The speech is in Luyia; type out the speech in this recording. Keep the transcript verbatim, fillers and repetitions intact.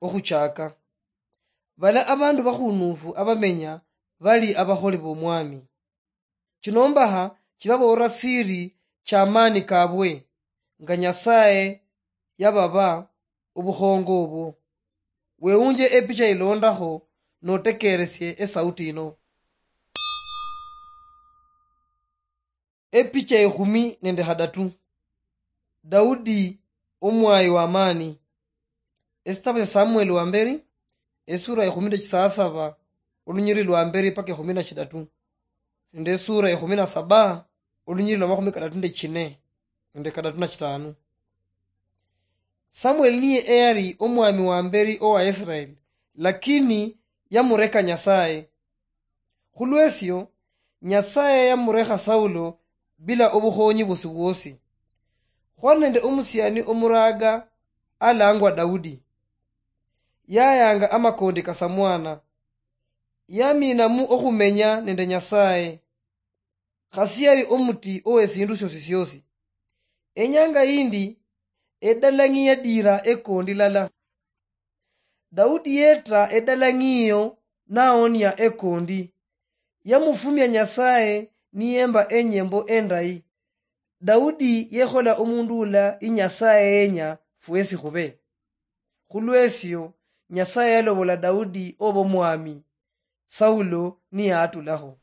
okhuchaka. Bala abandu bakhunufu abamenya bali abakholi b'Omwami. Chinombaha chibabool'la siri ch'amaani kabwe, nga Nyasaye yababa obukhongo obwo. Weunje epicha ilondakho notekeresie esauti ino. Epicha ekhumi nende khadatu. Daudi omwayi w'amaani. Esitabu sya Samueli wa mberi, esura ekhumi nende chisasaba, olunyiri lwa mberi paka ekhumi na chidatu, nende esura ekhumi na saba, olunyiri lwa makhumi kadatu nende chine, nende kadatu na chitanu. Samueli niye eyali omwami wa mberi owa Israeli, lakini yamureka Nyasaye. Khulwesio, Nyasaye yamurekha Saulo bila obukhonyi bwosi bwosi. Khwali nende omusiani omuraga alangwa Daudi. Yayanga amakondi kasamwana. Yaminamu okhumenya nende Nyasaye. Khasi yali omuti owesindu siosi siosi. Enyanga yindi, edalang'i yadira ekondi lala. Daudi yeta edalang'i iyo naonia ekondi. Yamufumia Nyasaye niyemba enyembo endayi. Daudi yekhola omundu ula i Nyasaye yenya fwesi khube. Khulwesio, Nyasaye yalobola Daudi oba omwami, Saulo niyaatulakho.